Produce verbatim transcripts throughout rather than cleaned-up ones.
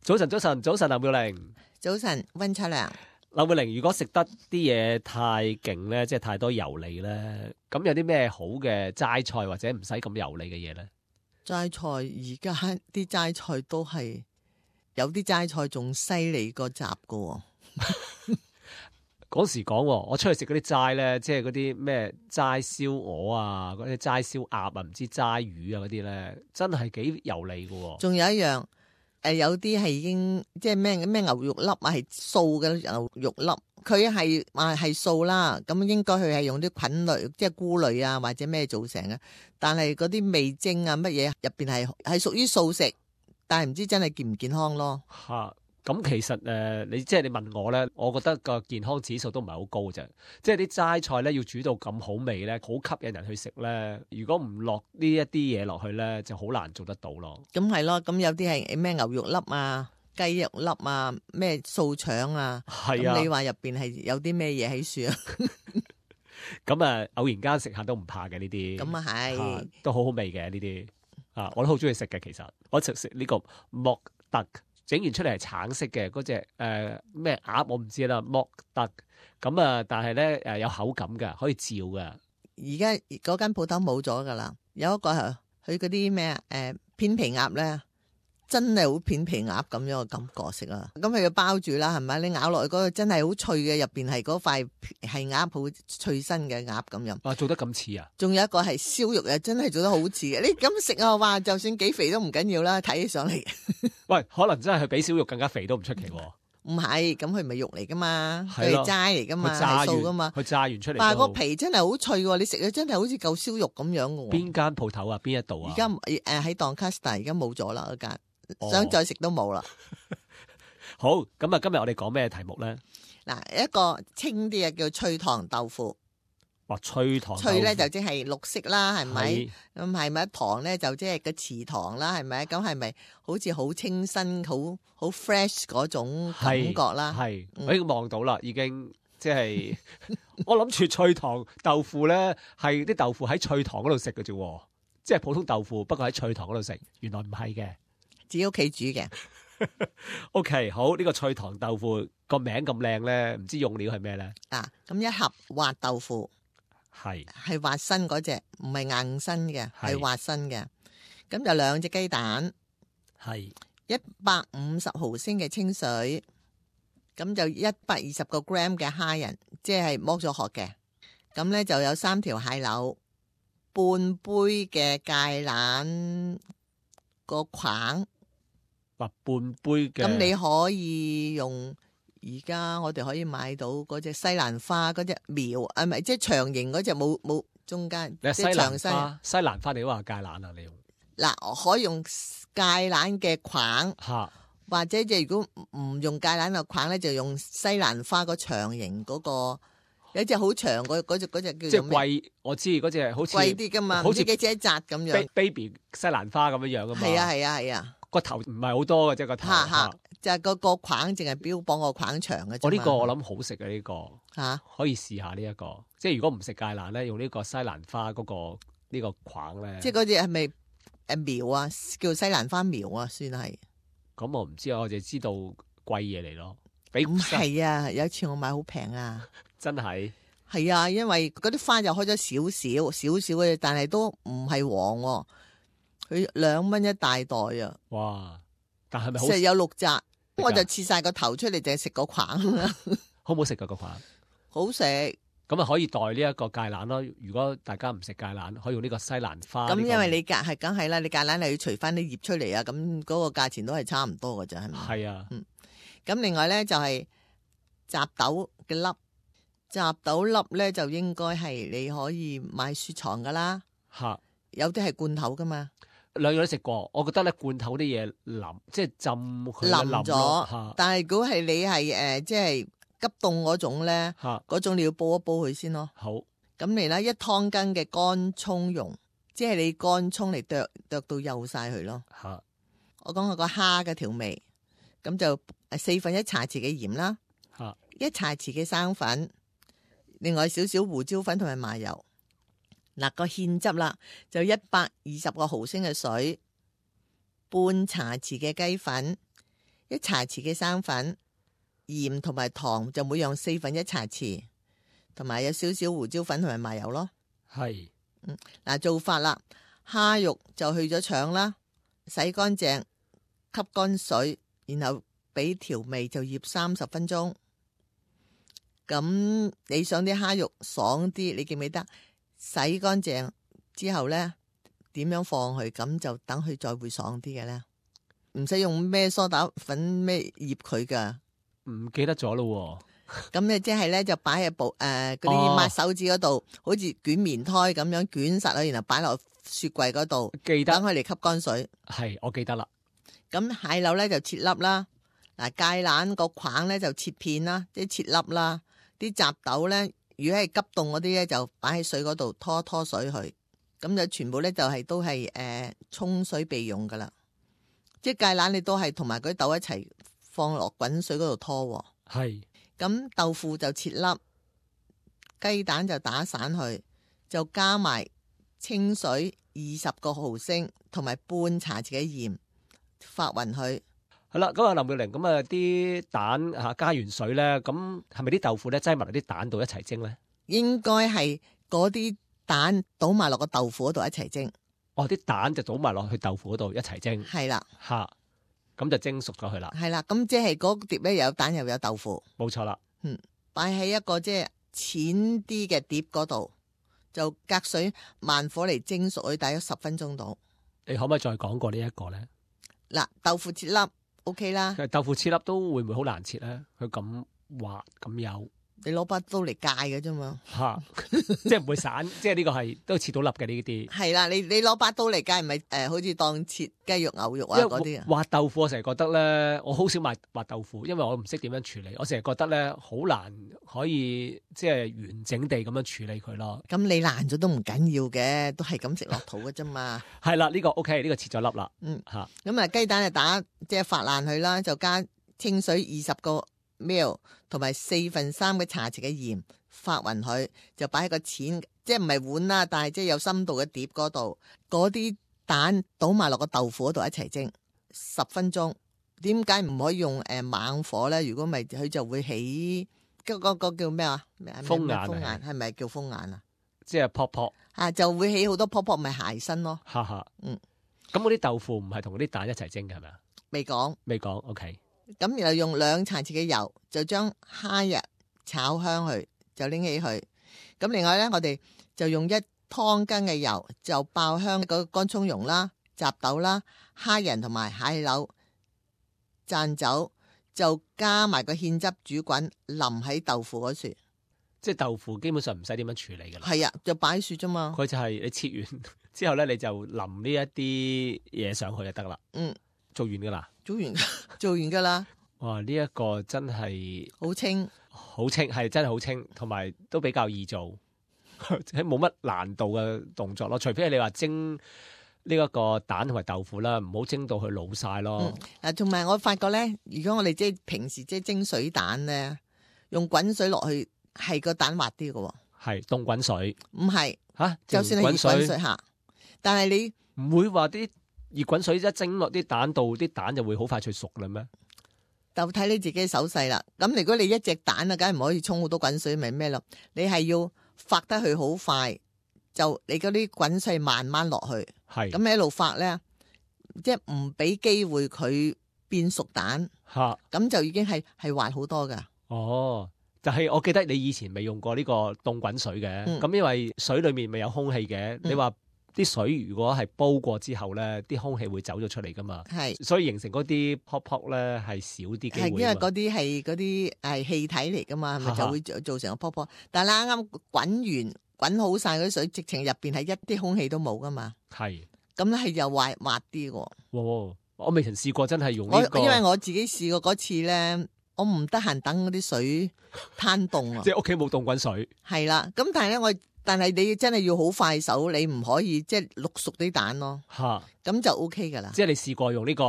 早晨，早晨，早晨，劉妙玲。早晨，溫秋良。劉妙玲，如果食得啲嘢太勁咧，即係太多油膩咧，咁有啲咩好嘅齋菜或者唔使咁油膩嘅嘢咧？齋菜而家啲齋菜都係有啲齋菜仲犀利過雜噶。嗰時講，我出去食嗰啲齋咧，即係嗰啲咩齋燒鵝啊，嗰啲齋燒鴨啊，唔知齋魚啊嗰啲咧，真係幾油膩噶。仲有一樣，誒、呃，有啲係已經即係咩咩牛肉粒啊，係素嘅牛肉粒，佢係話係素啦，咁應該佢係用啲菌類，即係菇類啊或者咩做成嘅，但係嗰啲味精啊乜嘢入邊係係屬於素食，但係唔知真係健唔健康咯。吓。咁其實誒、呃，你即係你問我咧，我覺得個健康指數都唔係好高啫。即係啲齋菜咧，要煮到咁好味咧，好吸引人去食咧。如果唔落呢一啲嘢落去咧，就好難做得到咯。咁係咯，咁有啲係咩牛肉粒啊、雞肉粒啊、咩素腸啊，係啊。咁你話入邊係有啲咩嘢喺樹啊？咁啊，偶然間食下都唔怕嘅呢啲。咁啊係，都好好味嘅呢啲。啊，我都好中意食嘅。其實我食食呢個莫特。整完出嚟係橙色嘅嗰隻誒咩鴨我唔知啦，莫特咁啊，但係咧誒有口感㗎，可以照㗎。而家嗰間鋪頭冇咗㗎啦，有一個係佢嗰啲咩誒片皮鴨咧，真係好片皮鴨咁樣嘅感覺食啊！咁佢要包住啦，係咪？你咬落去嗰個真係好脆嘅，入邊係嗰塊係鴨好脆身嘅鴨咁樣。啊，做得咁似啊！仲有一個係燒肉啊，真係做得好似嘅。你咁食啊，話就算幾肥都唔緊要啦，睇起上嚟。喂，可能真係佢比燒肉更加肥都唔出奇喎。唔係，咁佢唔係肉嚟噶嘛，佢係係齋嚟噶嘛，係素噶嘛。佢炸完出嚟，但係個皮真係好脆喎，你食咗真係好似嚿燒肉咁樣嘅。邊間鋪頭啊？邊一度啊？而家誒喺 Doncaster，而家冇咗啦嗰間，哦、想再食都冇啦。好，咁啊，今日我哋講咩題目咧？嗱，一個清啲嘅叫脆糖豆腐。哇，脆糖豆腐脆咧就即係綠色啦，係咪？係咁係咪糖咧就即係個池糖啦，係咪？咁係咪好似好清新、好好 fresh 嗰種感覺啦？係，嗯我已經望到啦，已經即係我諗住脆糖豆腐咧，係啲豆腐喺脆糖嗰度食嘅啫，即係普通豆腐，不過喺脆糖嗰度食，原來唔係嘅，自己屋企煮嘅。O K， 好，呢、這個脆糖豆腐個名咁靚咧，唔知用料係咩咧？嗱，咁一盒滑豆腐。係係滑身嗰隻，唔係硬身嘅，係係滑身嘅。咁就兩隻雞蛋，係一百五十毫升嘅清水，咁就一百二十個 gram 嘅蝦仁，即係剝咗殼嘅。咁咧就有三條蟹柳，半杯嘅芥蘭個框，或半杯嘅。咁你可以用。而家我哋可以買到嗰隻西蘭花嗰隻苗，啊唔係即係長形嗰隻，冇冇中間，你西即係長蘭花，西蘭花你話芥蘭啊？你用嗱可以用芥蘭嘅框，嚇，或者即係如果唔用芥蘭嘅框咧，就用西蘭花個長形嗰個，有隻好長嗰嗰隻嗰隻叫即係做咩？貴，我知嗰隻好似貴啲噶嘛，好似唔知幾隻一紮咁樣。 baby 西蘭花咁樣樣噶嘛。係啊係啊係啊，個頭唔係好多嘅啫，個頭嚇嚇嚇。就係個個框淨係標榜個框長嘅啫嘛。我呢個我諗好食嘅呢個嚇，可以試下呢一個。即係如果唔食芥蘭咧，用呢個西蘭花嗰個呢個框咧。即係嗰隻係咪誒苗啊？叫西蘭花苗啊，算係。咁我唔知啊，我就知道貴嘢嚟咯。比咁係啊，有一次我買好平啊。真係係啊，因為嗰啲花就開咗少少少少嘅，但係都唔係黃喎。佢兩蚊一大袋啊！哇！但係咪好實有六紮，啊我就切晒個頭出嚟，淨係食個框啦。好唔好食噶個框？好食。咁啊可以代呢一個芥蘭咯。如果大家唔食芥蘭，可以用呢個西蘭花。咁呢個因為你芥係梗係啦，你芥蘭你要除翻啲葉出嚟啊，咁嗰個價錢都係差唔多㗎咋，係咪？係啊。嗯。咁另外咧就係雜豆嘅粒，雜豆粒咧就應該係你可以買雪藏噶啦。嚇！有啲係罐頭噶嘛。兩樣都食過，我覺得咧罐頭啲嘢腍，即係浸佢腍腍咗咯。但係如果係你係誒、呃，即係急凍嗰種咧，嚇嗰種你要煲一煲佢先咯。好。咁嚟啦，一湯羹嘅乾葱蓉，即係你乾葱嚟剁剁到幼晒佢咯。嚇！我講下個蝦嘅調味，咁就四分一茶匙嘅鹽啦，嚇！一茶匙嘅生粉，另外少少胡椒粉同埋麻油。嗱，個芡汁啦，就一百二十個毫升嘅水，半茶匙嘅雞粉，一茶匙嘅生粉，鹽同埋糖就每樣四分一茶匙，同埋有少少胡椒粉同埋麻油咯。係，嗯，嗱做法啦，蝦肉就去咗腸啦，洗乾淨，吸乾水，然後俾調味就醃三十分鐘。咁你想啲蝦肉爽啲，你記唔記得洗乾淨之後呢，點樣放去？咁就等佢再會爽啲嘅呢？唔使用咩梳打粉咩醃佢噶。唔記得咗咯。咁你即係咧就擺喺部誒嗰啲抹手指嗰度，好似捲棉胎咁樣捲實佢，然後擺落雪櫃嗰度，記得等佢嚟吸乾水。係，我記得啦。咁蟹柳咧就切粒啦，嗱芥蘭個框咧就切片啦，即係切粒啦。啲雜豆咧，如果係急凍嗰啲咧，就擺喺水嗰度拖拖水去，咁就全部咧就係、是、都係誒、呃、沖水備用噶啦。即係芥蘭你都係同埋嗰啲豆一齊放落滾水嗰度拖。係。咁豆腐就切粒，雞蛋就打散去，就加埋清水二十個毫升，同埋半茶匙嘅鹽，發勻佢。係啦，咁啊林妙玲，咁啊啲蛋嚇加完水咧，咁係咪啲豆腐咧擠埋落啲蛋度一齊蒸咧？應該係嗰啲蛋倒埋落個豆腐嗰度一齊蒸。哦，啲蛋就倒埋落去豆腐嗰度一齊蒸。係啦，嚇，咁就蒸熟咗佢啦。係啦，咁即係嗰碟咧又有蛋又有豆腐。冇錯啦。嗯，擺喺一個即係淺啲嘅碟嗰度，就隔水慢火嚟蒸熟佢，大約十分鐘到。你可唔可以再講過呢一個咧？嗱，豆腐切粒。O K 啦，豆腐切粒都會唔會好難切咧？佢咁滑咁幼，你攞把刀嚟戒嘅啫嘛，吓，即係唔會散，即係呢個係都切到粒嘅呢啲。係啦，你你攞把刀嚟戒，唔係誒，好似當切雞肉、牛肉啊嗰啲啊。滑豆腐我成日覺得咧，我好少買滑豆腐，因為我唔識點樣處理。我成日覺得咧，好難可以即係完整地咁樣處理佢咯。咁你爛咗都唔緊要嘅，都係咁食落肚嘅啫嘛。係啦，呢個 O K，呢個切咗粒啦。嗯，吓，咁啊雞蛋就打即係發爛佢啦，就加清水二十個 ml 同埋四分三嘅茶匙嘅鹽，發勻佢，就擺喺個淺，即係唔係碗啦，但係即係有深度嘅碟嗰度，嗰啲蛋倒埋落個豆腐嗰度一齊蒸十分鐘。點解唔可以用誒猛火咧？如果唔係佢就會起嗰嗰個叫咩啊？風眼，風眼係咪叫風眼啊？即係撲撲啊，就會起好多泡泡，咪鞋身咯。哈哈，嗯，咁嗰啲豆腐唔係同嗰啲蛋一齊蒸嘅係咪啊？未講，未講 O K。咁然後用兩茶匙嘅油，就將蝦仁炒香佢，就拎起佢。咁另外咧，我哋就用一湯羹嘅油，就爆香嗰個乾葱蓉啦、雜豆啦、蝦仁同埋蟹柳讚酒，就加埋個芡汁煮滾，淋喺豆腐嗰處。即係豆腐基本上唔使點樣處理㗎啦。係啊，就擺雪啫嘛。佢就係你切完之後咧，你就淋呢一啲嘢上去就得啦。嗯，做完㗎啦，做完做完㗎啦。哇！呢、這、一個真係好清，好清，係真係好清，同埋都比較易做，即係冇乜難度嘅動作咯。除非你話蒸呢一個蛋同埋豆腐啦，唔好蒸到佢老晒咯。嗱、嗯，同埋我發覺咧，如果我哋即係平時即係蒸水蛋咧，用滾水落去。係個蛋滑啲嘅，係凍滾水，唔係吓，就算係熱滾水吓，但係你唔會話啲熱滾水一蒸落啲蛋度，啲蛋就會好快脆熟啦咩？就睇你自己手勢啦。咁如果你一隻蛋啊，梗係唔可以沖好多滾水，咪咩咯？你係要發得佢好快，就你嗰啲滾水慢慢落去，係咁一路發咧，即係唔俾機會佢變熟蛋吓，咁就已經係係滑好多噶。哦。就係我記得你以前未用過呢個凍滾水嘅，咁、嗯、因為水裏面咪有空氣嘅、嗯，你話啲水如果係煲過之後咧，啲空氣會走咗出嚟噶嘛，係，所以形成嗰啲泡泡咧係少啲機會。係因為嗰啲係嗰啲係氣體嚟噶嘛，係咪就會造成個泡泡？但係啱啱滾完滾好晒嗰啲水，直情入邊係一啲空氣都冇噶嘛，係，咁咧係又滑滑啲喎。哦，我未曾試過真係用呢、這個，因為我自己試過嗰次咧。我唔得閒等嗰啲水攤凍啊！即係屋企冇凍滾水。係啦，咁但係咧，我但係你真係要好快手，你唔可以即係淥熟啲蛋咯，嚇，咁就 O K 噶啦。即係你試過用呢個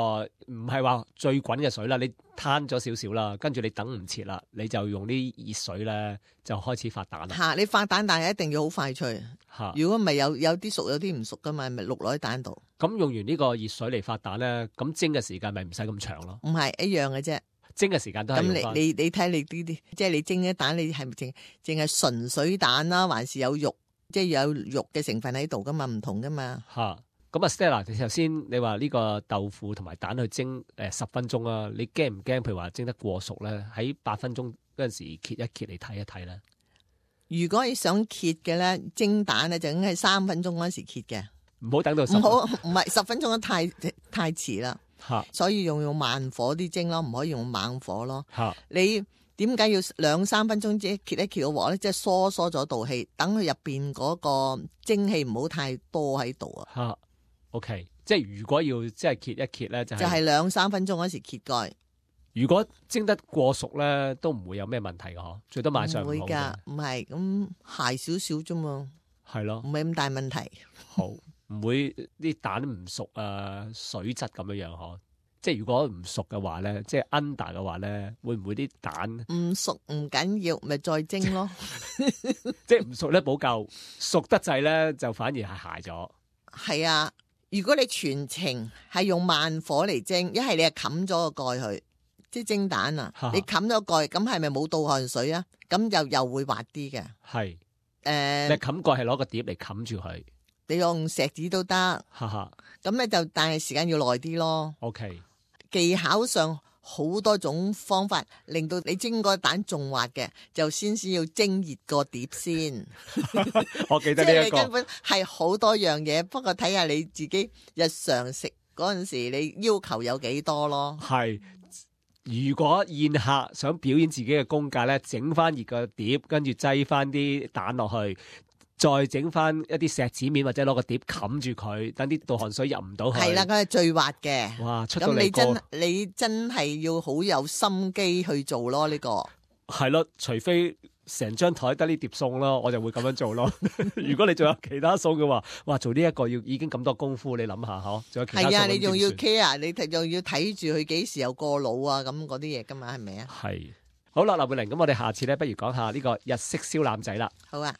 唔係話最滾嘅水啦，你攤咗少少啦，跟住你等唔切啦，你就用啲熱水咧就開始發蛋啦。嚇，你發蛋但係一定要好快脆，嚇，如果唔係有有啲熟有啲唔熟噶嘛，咪淥落喺蛋度。咁用完呢個熱水嚟發蛋咧，咁蒸嘅時間咪唔使咁長咯。唔係一樣嘅啫。蒸嘅時間都係咁用返你你你睇你啲啲，即係你蒸啲蛋，你係咪淨淨係純水蛋啦，還是有肉，即係有肉嘅成分喺度噶嘛？唔同噶嘛。嚇，咁啊 Stella，你頭先你話呢個豆腐同埋蛋去蒸誒十分鐘啊，你驚唔驚？譬如話蒸得過熟咧，喺八分鐘嗰陣時揭一揭嚟睇一睇咧。如果你想揭嘅咧，蒸蛋咧就應該係三分鐘嗰陣時揭嘅，唔好等到十唔好唔係十分鐘都太太遲啦。嚇所以用用慢火啲蒸咯，唔可以用猛火咯。嚇你點解要兩三分鐘即揭一揭個鑊咧？即係疏疏咗道氣，等佢入邊嗰個蒸氣唔好太多喺度啊。嚇，OK，即係如果要即係揭一揭咧，就係、就係兩三分鐘嗰時揭蓋。如果蒸得過熟咧，都唔會有咩問題嘅嗬，最多賣相唔好唔會㗎啫，唔係咁鞋少少啫嘛，係咯唔，係咁大問題。好唔會啲蛋唔熟啊，水質咁樣樣嗬。即係如果唔熟嘅話咧，即係 under 嘅話咧，會唔會啲蛋唔熟唔緊要，咪再蒸咯。即係唔熟咧補救，熟得滯咧就反而係鞋咗。係啊，如果你全程係用慢火嚟蒸，一係你係冚咗個蓋去，即係蒸蛋啊，哈哈你冚咗蓋，咁係咪冇倒汗水啊？咁又又會滑啲嘅。係，誒、你冚蓋係攞個碟嚟冚住佢，你用錫紙都得，哈哈。咁咧就但係時間要耐啲咯。 OK，技巧上好多種方法，令到你蒸個蛋仲滑嘅，就先先要蒸熱個碟先。我記即得呢一個係你根本係好多樣嘢，不過睇下你自己日常食嗰陣時，你要求有幾多咯。係。如果宴客想表演自己嘅功架咧，整翻熱個碟，跟住擠翻啲蛋落去，再整翻一啲錫紙面或者攞個碟冚住佢，等啲倒汗水入唔到去。係啦，佢係最滑嘅。哇！出到咁你嚟個真你真係要好有心機去做咯，呢、個係咯，除非成張台得呢碟餸咯，我就會咁樣做咯。如果你仲有其他餸嘅話，哇！做呢一個要已經咁多功夫，你諗下嗬，仲有其他餸係啊，你咁仲要點算 care，你睇仲要睇住佢幾時又過老啊，咁嗰啲嘢噶嘛，係咪啊？係好啦，劉佩玲，咁我哋下次咧，不如講下呢個日式燒腩仔啦。好啊。